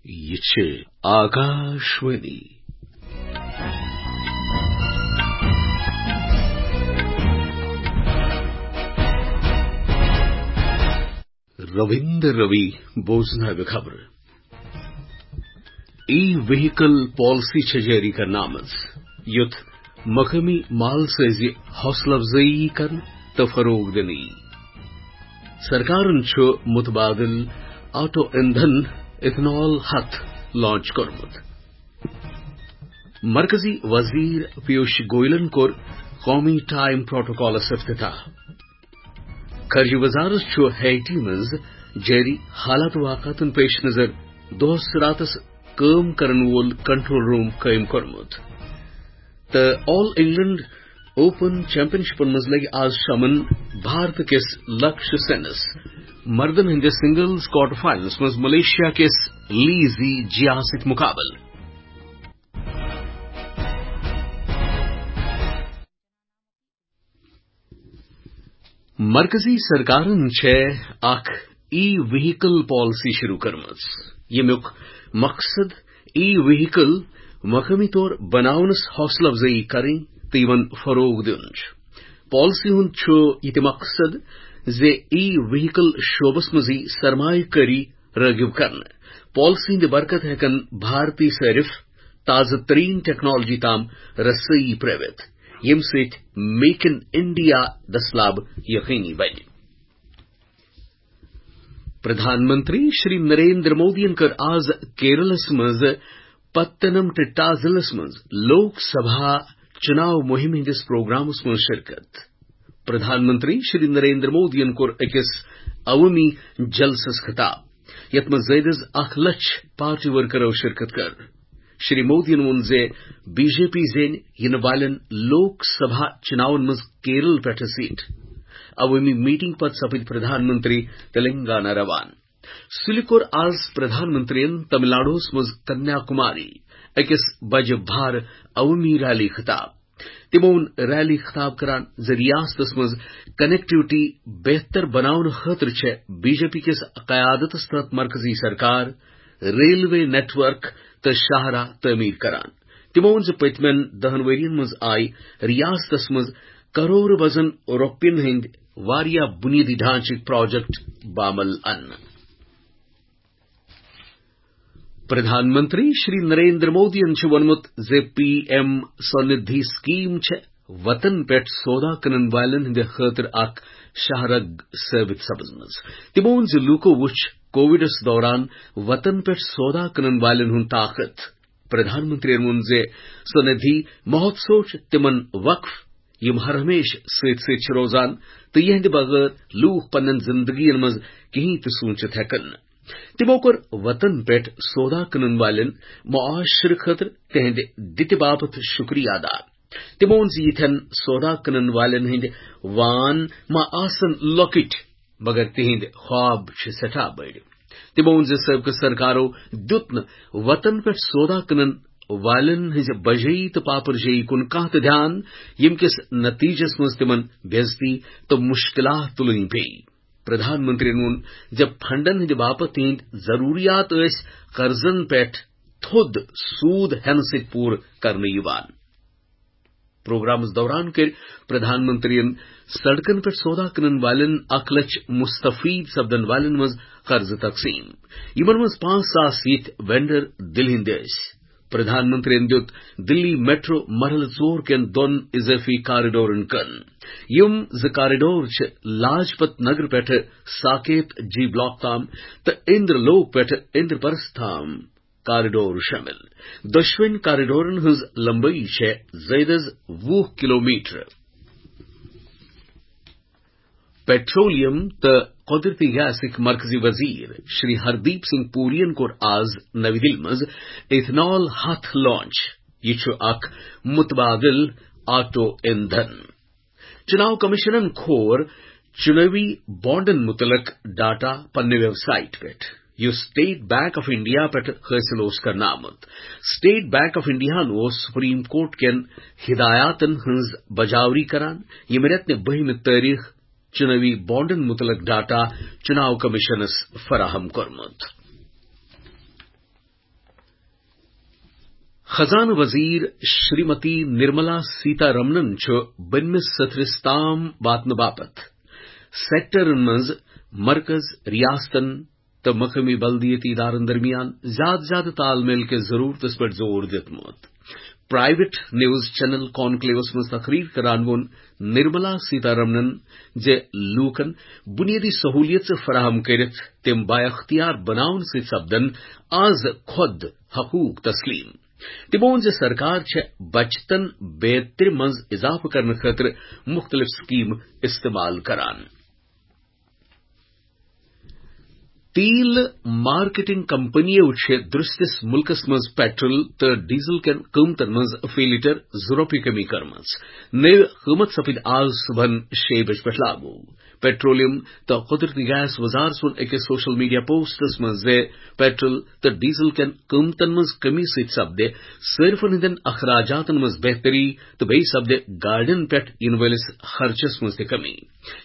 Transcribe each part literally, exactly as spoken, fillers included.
یہِ چھِ آکاشوانی۔ رٔوِندر رٔوی بوزناوِ خبرٕ۔ ای وہیکل پالیسی چھےٚ جٲری کرنہٕ آمٕژ، یُتھ مقٲمی مال سٲزی حوصلہٕ افزٲیی کرنہٕ تہٕ فروغ دِنہٕ یی۔ سرکارن چھُ متبادل آٹو ایندھن ایتھنال ہتھ لانچ کوٚرمُت۔ مرکزی وزیر پیوش گوئلن کوٚر قومی ٹائم پروٹوکالس افتتاح۔ خارجہ وزارت چھُ ہیٹی منٛز جٲری حالات واقعاتن پیش نظر دۄہس راتس کٲم کرن وول کنٹرول روم قٲیِم کوٚرمُت۔ تہٕ آل انگلینڈ اوپن چیمپین شپن منٛز لگہِ آز شامن بھارت کِس لکش سینس مردن ہٕنٛدِس سنگلز کوارٹر فائنلس منٛز ملیشیا کِس لی زی جیا سۭتۍ مقابلہٕ۔ مرکزی سرکارن چھےٚ اکھ ای وہیکل پالیسی شروع کٔرمٕژ، ییٚمیُک مقصد ای وہیکل مقٲمی طور بناونس حوصلہٕ افزٲیی کرٕنۍ تہٕ یِمن فروغ دیُن چھُ۔ پالیسی ہُنٛد چھُ یہِ تہِ مقصد زِ ای وہیکل شعبس منٛز یی سرمایہ کٲری رٲغب کرنہٕ۔ پالیسی ہٕنٛدِ برکت ہٮ۪کن بھارتی صٲرف تازٕ ترین ٹیکنالوجی تام رسٲیی پرٲوِتھ، ییٚمہِ سۭتۍ میک ان انڈیا دستلاب یقینی بنہِ۔ پردھان منتری شری نریندر مودیَن کٔر آز کیرلس منٛز پتنم ٹِٹا ضلعس منٛز لوک سبھا چُناو مُہِم ہٕنٛدِس پروگرامس منٛز شرکت۔ پردھان منتری شری نریندر مودیَن کوٚر أکِس عوٲمی جلسس خطاب، یتھ منٛز زٲیدٕ از اکھ لچھ پارٹی ورکرو شرکت کٔر۔ شری مودیَن ووٚن زِ بی جے پی زینہِ یِنہٕ والٮ۪ن لوک سبھا چُناون منٛز کیرل پٮ۪ٹھٕ سیٹ۔ عوٲمی میٹنگ پتہٕ سپٕدۍ پردھان منتری تلنگانہ روانہٕ۔ سُلہِ کوٚر آز پردھان منتریَن تمل ناڈوَس منٛز کنیا کماری أکِس بجہِ بھارٕ عوٲمی ریلی خطاب۔ تِمو ووٚن ریلی خطاب کران زِ ریاستس منٛز کنیکٹیوٹی بہتر بناونہٕ خٲطرٕ چھےٚ بی جے پی کِس قیادتس تحت مرکزی سرکار ریلوے نیٹ ورک تہٕ شاہراہ تعمیٖر کران۔ تِمو ووٚن زِ پٔتمٮ۪ن دَہَن ؤرۍ یَن منٛز آیہِ ریاستس منٛز کرور وزن رۄپین ہٕنٛدۍ واریاہ بُنیٲدی ڈھانچٕکۍ پروجیکٹ بامل اننہٕ۔ پردھان منتری شری نریندر مودیَن چھُ ووٚنمُت زِ پی ایم سوندھی سکیم چھےٚ وطن پٮ۪ٹھ سودا کٕنن والٮ۪ن ہٕنٛدِ خٲطرٕ اکھ شاہراہ ثٲبت سپٕزمٕژ۔ تِمو ووٚن زِ لوٗکو وُچھ کووڈس دوران وطن پٮ۪ٹھ سودا کٕنن والٮ۪ن ہُنٛد طاقت۔ پردھان منتریَن ووٚن زِ سوندھی مہوتسو چھُ تِمن وقف، یِم ہر ہمیشہٕ سۭتۍ سۭتۍ چھِ روزان تہٕ یِہنٛدِ بغٲر لوٗکھ پننٮ۪ن زندگین منٛز کِہینۍ تہِ سوٗنچِتھ ہٮ۪کن نہٕ۔ تِمو کوٚر وطن پٮ۪ٹھ سودا کٕنن والٮ۪ن معاشرٕ خٲطرٕ تِہنٛدِ دِتہِ باپتھ شُکریہ ادا۔ تِمو ووٚن زِ یِتھٮ۪ن سودا کٕنن والٮ۪ن ہٕنٛدۍ وان ما آسن لۄکٕٹۍ، مگر تِہنٛدۍ خواب چھِ سٮ۪ٹھاہ بٔڑۍ۔ تِمو ووٚن زِ سٲبقہٕ سرکارو دیُت نہٕ وطن پٮ۪ٹھ سودا کٕنن والٮ۪ن ہٕنٛزِ بجٲیی تہٕ پاپرجٲیی کُن کانٛہہ تہِ دھیان، ییٚمہِ کِس نتیجس منٛز تِمن بے عزتی تہٕ مُشکلات تُلٕنۍ پیٚیہِ۔ پردھان منتریَن ووٚن زِ فنڈن ہٕنٛدِ باپتھ تِہنٛدۍ ضروٗریات ٲسۍ قرضن پٮ۪ٹھ تھوٚد سوٗد ہٮ۪نہٕ سۭتۍ پوٗرٕ کرنہٕ یِوان۔ پروگرامس دوران کٔرۍ پردھان منتریَن سڑکن پٮ۪ٹھ سودا کٕنن والٮ۪ن اکھ لچھ مستفید سپدن والٮ۪ن منٛز قرضہٕ تقسیٖم۔ یِمن منٛز پانٛژھ ساس یِتھۍ وینڈر دِلہِ ہٕنٛدۍ ٲسۍ۔ پردھان منتریَن دیُت دِلی میٹرو مرحلہٕ ژور کٮ۪ن دۄن اضٲفی کارڈورن کٕن۔ یِم زٕ کارڈور چھِ لاجپت نگر پٮ۪ٹھٕ ساکیت جی بلاک تام تہٕ اندر لوک پٮ۪ٹھٕ اندر پرست تام کارڈور شٲمِل۔ دۄشوٕنۍ کارڈورن ہٕنٛز لمبٲیی چھےٚ زٲیدٕ از وُہ کلومیٹر۔ پیٹرولیم تہٕ قۄدرتی گیسٕکۍ مرکزی وزیر شری ہردیپ سنگھ پوریَن کوٚر آز نَوِ دِلہِ منٛز ایتھنال ہتھ لانچ۔ یہِ چھُ اکھ متبادل آٹو ایندھن۔ چُناو کمیشنن کھور چُنٲوی بانڈن مُتعلق ڈاٹا پننہِ ویب سائٹ پٮ۪ٹھ، یُس اسٹیٹ بینک آف انڈیا پٮ۪ٹھ حٲصِل اوس کرنہٕ آمُت۔ اسٹیٹ بینک آف انڈیاہَن اوس سپریم کورٹ کٮ۪ن ہدایاتن ہٕنٛز بجاوری کران، ییٚمہِ رٮ۪تہٕ بٔہمہِ تٲریخ چُنٲوی بانڈن مُتعلق ڈاٹا چُناو کمیشنس فراہم کوٚرمُت۔ خزانہٕ وزیر شریمتی نرملا سیتا رمنن چھُ بٔنمِس سترس تام واتنہٕ باپتھ سیکٹرن منٛز مرکز، ریاستن تہٕ مقٲمی بلدیٲتی ادارن درمیان زیادٕ زیادٕ تال میل کِس ضروٗرتس پٮ۪ٹھ زور دیُتمُت۔ پرائیویٹ نیوز چینل کانکلیوس منٛز تقریر کران ووٚن نرملا سیتا رمنن زِ لوٗکن بنیٲدی سہولیژٕ فراہم کٔرِتھ تِم بااختیار بناونہٕ سۭتۍ سپدن آز خۄد حقوق تسلیم۔ تِمو ووٚن زِ سرکار چھےٚ بچتن بیترِ منٛز اضافہٕ کرنہٕ خٲطرٕ مُختٔلِف سکیمہٕ استعمال کران۔ تیل مارکیٹنگ کمپنیو چھِ درستِس مُلکَس منٛز پیٹرول تہٕ ڈیزل کٮ۪ن قۭمتَن منٛز فی لیٹر زٕ رۄپیہِ کمی کٔرمٕژ۔ نٔوۍ قۭمت سپٕدۍ آز صبحن شیٚیہِ بجہِ پٮ۪ٹھ لاگو۔ پیٹرولیم تہٕ قدرتی گیس وزارت ووٚن أکِس سوشل میڈیا پوسٹس منٛز زِ پیٹرول تہٕ ڈیزل کٮ۪ن قۭمتَن منٛز کمی سۭتۍ سپدِ صٲرفَن ہٕنٛدٮ۪ن اخراجاتَن منٛز بہتری تہٕ بیٚیہِ سپدِ گاڑٮ۪ن پٮ۪ٹھ یِنہٕ وٲلِس خرچَس منٛز تہِ کمی۔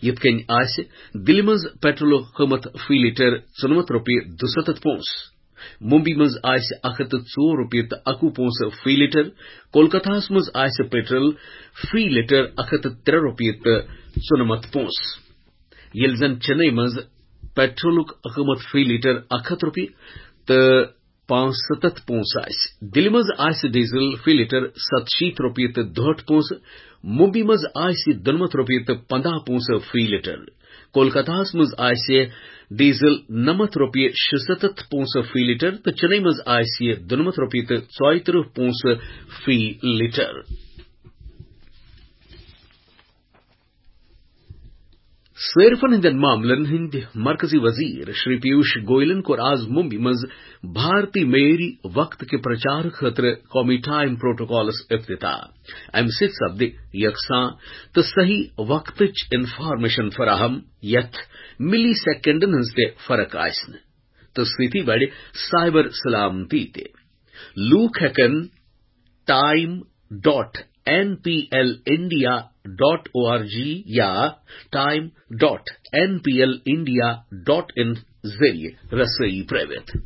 یِتھ کٔنۍ آسہِ دِلہِ منٛز پیٹرولُک قۭمت فی لیٹر ژُنَمَتھ رۄپیہِ دُسَتَتھ پونٛسہٕ، ممبئی منٛز آسہِ اَکھ ہَتھ تہٕ ژور رۄپیہِ تہٕ اَکوُہ پونٛسہٕ فی لیٹر، کولکتاہَس منٛز آسہِ پیٹرول فی لیٹر اَکھ ہَتھ تہٕ ترٛےٚ رۄپیہِ تہٕ ژُنَمَتھ پونٛسہٕ، ییٚلہِ زَن چنئی منٛز پیٹرولُک قۭمت فی لیٹر اَکھ ہَتھ رۄپیہِ تہٕ پانٛژھ سَتَتھ پونٛسہٕ آسہِ۔ دِلہِ منٛز آسہِ ڈیزل فی لیٹر ستشیٖتھ رۄپیہِ تہٕ دُہٲٹھ پونٛسہٕ، ممبئی منٛز آسہِ دُنَمَتھ رۄپیہِ تہٕ پنٛداہ پونٛسہٕ فی لیٹر، کولکتاہَس منٛز آسہِ ڈیزل نَمَتھ رۄپیہِ شُسَتَتھ پونٛسہٕ فی لیٹر تہٕ چنئی منٛز آسہِ دُنَمَتھ رۄپیہِ تہٕ ژۄیہِ تٕرٛہ پونٛسہٕ فی لیٹر۔ صٲرفن ہٕنٛدٮ۪ن معاملن ہٕنٛدۍ مرکزی وزیر شری پیوش گویلن کوٚر آز ممبئی منٛز بھارتی معیٲری وقت کہِ پرچار خٲطرٕ قومی ٹائم پروٹوکالس افتتاح۔ امہِ سۭتۍ سپدِ یکساں تہٕ صحیح وقتٕچ انفارمیشن فراہم، یتھ ملی سیکنڈن ہٕنٛز تہِ فرق آسہِ نہٕ، تہٕ سۭتی بڑِ سائبر سلامتی تہِ۔ لوٗکھ ہٮ۪کن time dot N P L India dot O R G یا time dot N P L India dot in ذٔریعہٕ رسٲیی پرٲوِتھ۔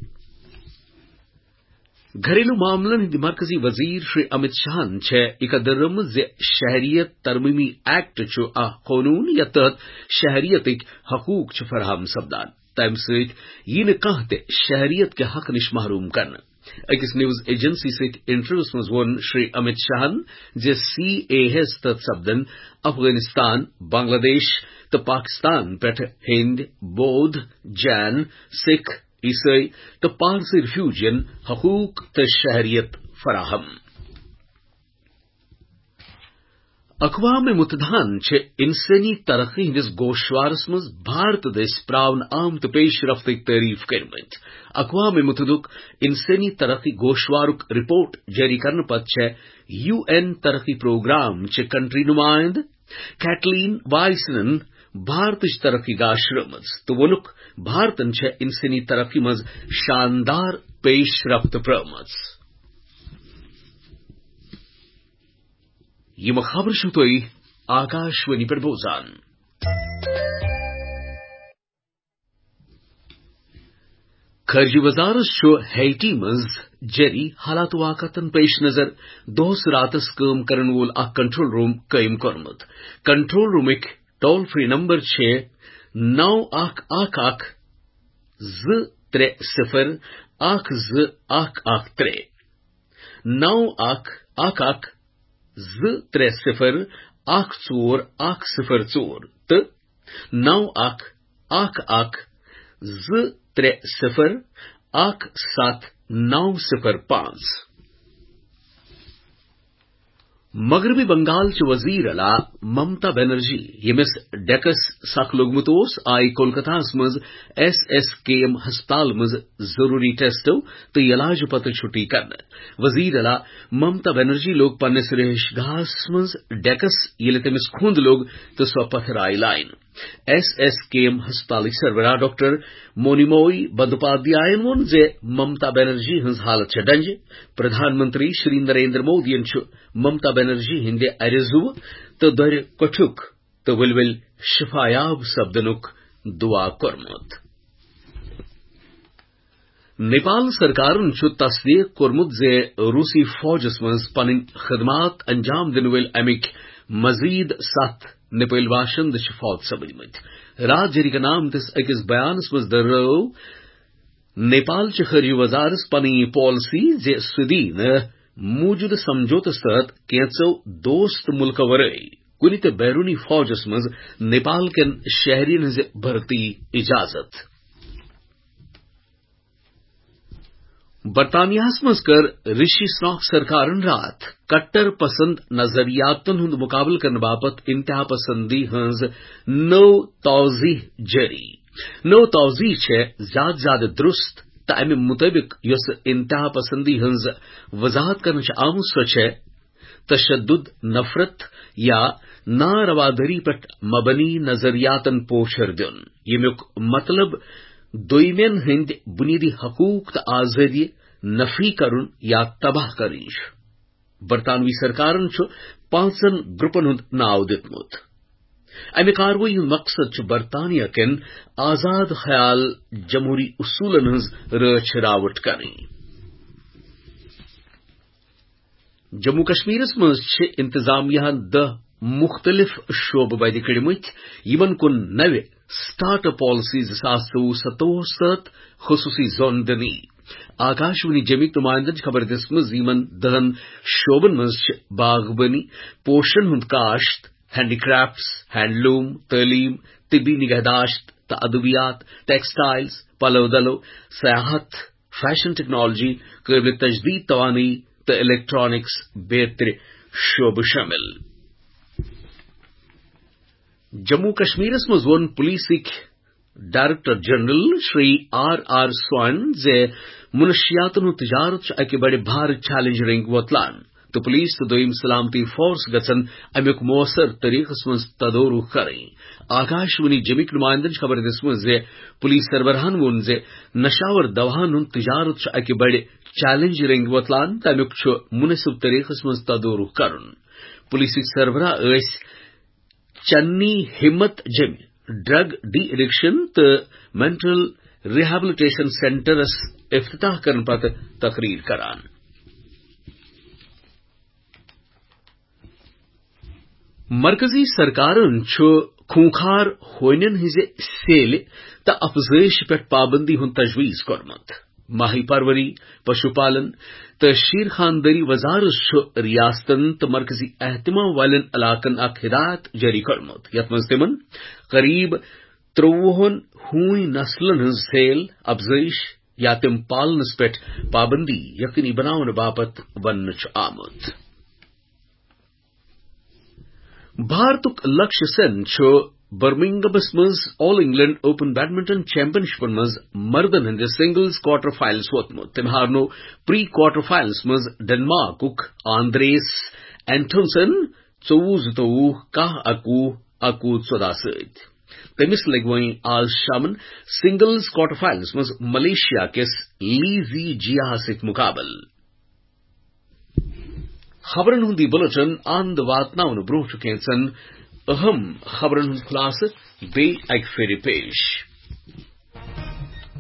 گھریلو معاملن ہٕنٛدۍ مرکزی وزیر شری امت شاہن چھےٚ یہِ کتھ دٔرمٕژ زِ شہریت ترمیمی ایکٹ چھُ اکھ قونوٗن یتھ تحت شہریتٕکۍ حقوق چھِ فراہم سپدان۔ تَمہِ سۭتۍ یی نہٕ کانٛہہ تہِ شہریت کہِ حق نِش محروم کرنہٕ۔ أکِس نیوز ایجنسی سۭتۍ انٹرویوس منٛز ووٚن شری امت شاہن زِ سی اے ہس تحت سپدن افغانستان، بنگلہ دیش تہٕ پاکستان پٮ۪ٹھ ہیٚنٛدۍ، بودھ، جین، سکھ، عیسٲئی تہٕ پارسی ریفیوجین حقوق تہٕ شہریت فراہم۔ اقوام متحدہن چھِ انسٲنی ترقی ہٕنٛدِس گوشوارس منٛز بھارت دٔسۍ پراونہٕ آمتہٕ پیش رفتٕکۍ تعریف کٔرمٕتۍ۔ اقوام متحدُک انسٲنی ترقی گوشوارُک رپورٹ جٲری کرنہٕ پتہٕ چھےٚ یو این ترقی پروگرام چہِ کنٹری نمائندٕ کیٹلین وائسنن بھارتٕچ ترقی گاشرٲومٕژ تہٕ ووٚنُکھ، بھارتن چھےٚ انسٲنی ترقی منٛز شاندار پیش رفت پرٲومٕژ۔ یِم خبرٕ چھِو تُہۍ آکاشوانی پٮ۪ٹھ بوزان۔ خارجہ وزارت چھُ ہیٹی منٛز جٲری حالات واقعاتن پیش نظر دۄہس راتس کٲم کرن وول اکھ کنٹرول روم قٲیِم کوٚرمُت۔ کنٹرول رومٕکۍ ٹول فری نمبر چھِ نو اکھ اکھ اکھ زٕ ترٛےٚ صفر اکھ زٕ اکھ اکھ ترٛےٚ، نو اکھ اکھ اکھ زٕ ترٛےٚ صفر اکھ ژور اکھ صفر ژور تہٕ نو اکھ اکھ اکھ زٕ ترٛےٚ صفر اکھ ستھ نو صفر پانٛژھ۔ مغربی بنگال چہِ وزیر اعلیٰ ممتا بنرجی، ییٚمِس ڈیکس سخ لوٚگمُت اوس، آیہِ کولکتاہَس منٛز ایس ایس کے ایم ہسپتال منٛز ضروری ٹیسٹو تہٕ علاجہٕ پتہٕ چھُٹی کرنہٕ۔ وزیر اعلیٰ ممتا بنرجی لوٚگ پننِس رہائش گاہس منٛز ڈیکس، ییٚلہِ تٔمِس کھُنٛد لوٚگ تہٕ سۄ پتھرایہِ لاین۔ ایس ایس کے ایم ہسپتالٕکۍ سربراہ ڈاکٹر مونیموئی بندوپادھیاین ووٚن زِ ممتا بنرجی ہٕنٛز حالت چھےٚ ڈنجہِ۔ پردھان منتری شری نریندر مودیَن چھُ ممتا بنرجی ہٕنٛدِ اَرِ زُوٕ تہٕ دۄرِ کوٹھیُک تہٕ ؤلۍ ؤلۍ شفایاب سپدنُک دعا کوٚرمُت۔ نیپال سرکارن چھُ تصدیق کوٚرمُت زِ روسی فوجس منٛز پنٕنۍ خدمات انجام دِنہٕ وٲلۍ امِکۍ مزید ستھ نیپٲلۍ باشندٕ چھِ فوت سپدمٕتۍ۔ راتھ جٲری کرنہٕ آمتِس أکِس بیانس منٛز دٔرٲو نیپال چہِ خارجہ وزارت پنٕنۍ یہِ پالیسی زِ سُہ دِیہِ نہٕ موٗجوٗدٕ سمجھوتس تحت کینٛژو دوست مُلکو ورٲے کُنہِ تہِ بیرونی فوجس منٛز نیپال کٮ۪ن شہرین ہٕنٛزِ بھرتی اجازت۔ برطانیہس منٛز کٔر رشی سناک سرکارن راتھ کٹر پسند نظریاتن ہُنٛد مقابلہٕ کرنہٕ باپتھ انتہا پسندی ہٕنٛز نٔو توضیح جٲری۔ نٔو توضیح چھےٚ زیادٕ زیادٕ درست تہٕ امہِ مطٲبق یۄس انتہا پسندی ہٕنٛز وضاحت کرنہٕ چھِ آمٕژ، سۄ چھےٚ تشدد، نفرت یا ناروادٲری پٮ۪ٹھ مبنی نظریاتن پوچھر دیُن، ییٚمیُک مطلب دویمٮ۪ن ہٕنٛدۍ بُنیٲدی حقوٗق تہٕ آزٲدی نفی کرُن یا تباہ کرٕنۍ چھُ۔ برطانوی سرکارن چھُ پانٛژن گروپن ہُنٛد ناو دیُتمُت۔ امہِ کاروٲیی ہُنٛد مقصد چھُ برطانیہ کٮ۪ن آزاد خیال جمہوری اصوٗلن ہٕنٛز رٲچھ راوٹھ کرٕنۍ۔ جموں کشمیرس منٛز چھِ انتظامیہ ہن دَہ مُختٔلِف شعبہٕ بدِ کٔڑمٕتۍ، یِمن کُن نوِ سٹارٹ اپ پالیسی زٕ ساس ژوٚوُہ ستووُہس تحت خصوٗصی زون دِنہٕ یی۔ آکاشوانی جمِکۍ نُمایندن چھِ خبر دِژمٕژ زِ یِمن دَہن شعبن منٛز چھِ باغبٲنی، پوشن ہُنٛد کاشت، ہینڈی کرافٹس، ہینڈلوم، تعلیم، طبی نگہداشت تہٕ ادویات، ٹیکسٹائلز، پلو دلو، سیاحت، فیشن ٹیکنالوجی، قٲبلِ تجدید توانٲیی تہٕ الیکٹرانکس بیترِ شعبہٕ شٲمِل۔ جموں کشمیرس منٛز ووٚن پولیسٕکۍ director general Shri R R Swain زِ منشیاتن ہُنٛد تجارت چھُ اکہِ بڑِ بھارٕ چیلنج رنگہِ وۄتلان تہٕ پولیس تہٕ دوٚیِم سلامتی فورس گژھن امیُک مؤثر طریقس منٛز تدورُک کرٕنۍ۔ آکاشوانی جمِکۍ نُمایندن چھِ خبر دِژمٕژ زِ پولیس سربراہن ووٚن زِ نشاور دواہن ہُنٛد تجارت چھُ اکہِ بڑِ چیلنج رنگہِ وۄتلان تہٕ امیُک چھُ مناسب طریقس منٛز تدورُک کرُن۔ پولیسٕکۍ سربراہ ٲسۍ چنی ہمت جمہِ ڈرگ ڈی ایڈکشن تہٕ مینٹل ریہیبلیٹیشن سینٹرس افتتاح کرنہٕ پتہٕ تقریر کران۔ مرکزی سرکارن چھُ خونخوار ہونٮ۪ن ہٕنٛزِ سیلہِ تہٕ افزٲیش پٮ۪ٹھ پابندی ہُنٛد تجویز کوٚرمُت۔ ماہی پروری، پشو پالن تہٕ شیر خاندٲری وزارت چھُ ریاستن تہٕ مرکزی اہتمام والٮ۪ن علاقن اکھ ہدایت جٲری کوٚرمُت، یتھ منٛز تِمن قریب ترٛۆوُہن ہوٗنۍ نسلن ہٕنٛز سیل افزٲیش یا تِم پالنس پٮ۪ٹھ پابندی یقینی بناونہٕ باپتھ وننہٕ چھُ آمُت۔ بھارتُک لکشیہ سین چھُ برمنگمس منٛز آل انگلینڈ اوپن بیڈمنٹن چیمپین شپن منٛز مردن ہٕنٛدِس سنگلز کوارٹر فائنلس ووتمُت۔ تٔمۍ ہارنوو پری کوارٹر فائنلس منٛز ڈنمارکُک آندریس اینتھونسن ژوٚوُہ زٕتووُہ، کاہ اَکوُہ، اَکوُہ ژۄداہ سۭتۍ۔ تٔمِس لگہِ وۄنۍ آز شامن سنگلز کوارٹر فائنلس منٛز ملیشیا کِس لی زی جیاہس سۭتۍ مقابلہٕ۔ خبرن ہُنٛد یہِ بُلٹن اند واتناونہٕ برٛونٛہہ چھُ کینٛژن اہم خبرن ہُنٛد خلاصہٕ بیٚیہِ اکہِ پھِرِ پیش۔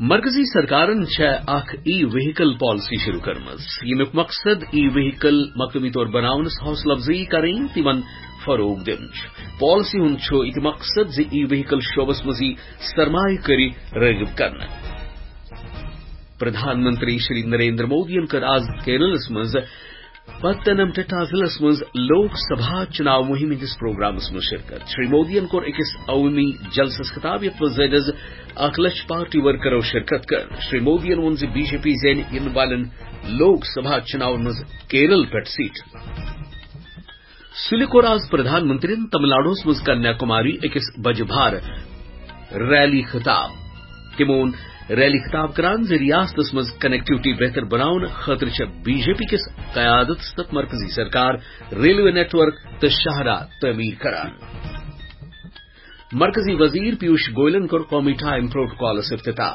مرکزی سرکارن چھےٚ اکھ ای وہیکل پالیسی شروع کٔرمٕژ، ییٚمیُک مقصد ای وہیکل مقٲمی طور بناونس حوصلہٕ افزٲیی کرٕنۍ تہٕ یِمن فروغ دیُن چھُ۔ پالیسی ہُنٛد چھُ یہِ تہِ مقصد زِ ای وہیکل شعبس منٛز یی سرمایہ کٲری رٲغب کرنہٕ۔ پردھان منتری شری نریندر مودیَن کٔر آز کیرلس منٛز پتنمتھیٹا ضلعس منٛز لوک سبھا چناو مہم ہٕنٛدِس پروگرامس منٛز شرکت۔ شری مودیَن کوٚر أکِس عوٲمی جلسس خطاب، یتھ منٛز زٲیدٕ از اکھ لچھ پارٹی ورکرو شرکت کٔر۔ شری مودیَن ووٚن زِ بی جے پی زینہِ یِنہٕ والٮ۪ن لوک سبھا چناون منٛز کیرل پٮ۪ٹھ سیٹ۔ سُلہِ کوٚر آز پردھان منترین تمل ناڈوَس منٛز کنیا کماری أکِس بجہِ بھارٕ ریلی خطاب۔ تِمو ووٚن ریلی خطاب کران زِ ریاستس منٛز کنیکٹیوٹی بہتر بناونہٕ خٲطرٕ چھےٚ بی جے پی کِس قیادتس تحت مرکزی سرکار ریلوے نیٹ ورک تہٕ شاہراہ تعمیٖر کران۔ مرکزی وزیر پیوش گوئلن کوٚر کومیٹا امپرووڈ کالس افتتاح۔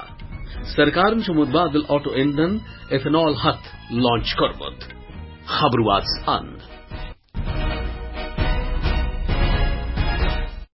سرکارن چھُ متبادل آٹو ایندھن ایتھنال ہتھ لانچ کوٚرمُت۔ خبر واژ اند۔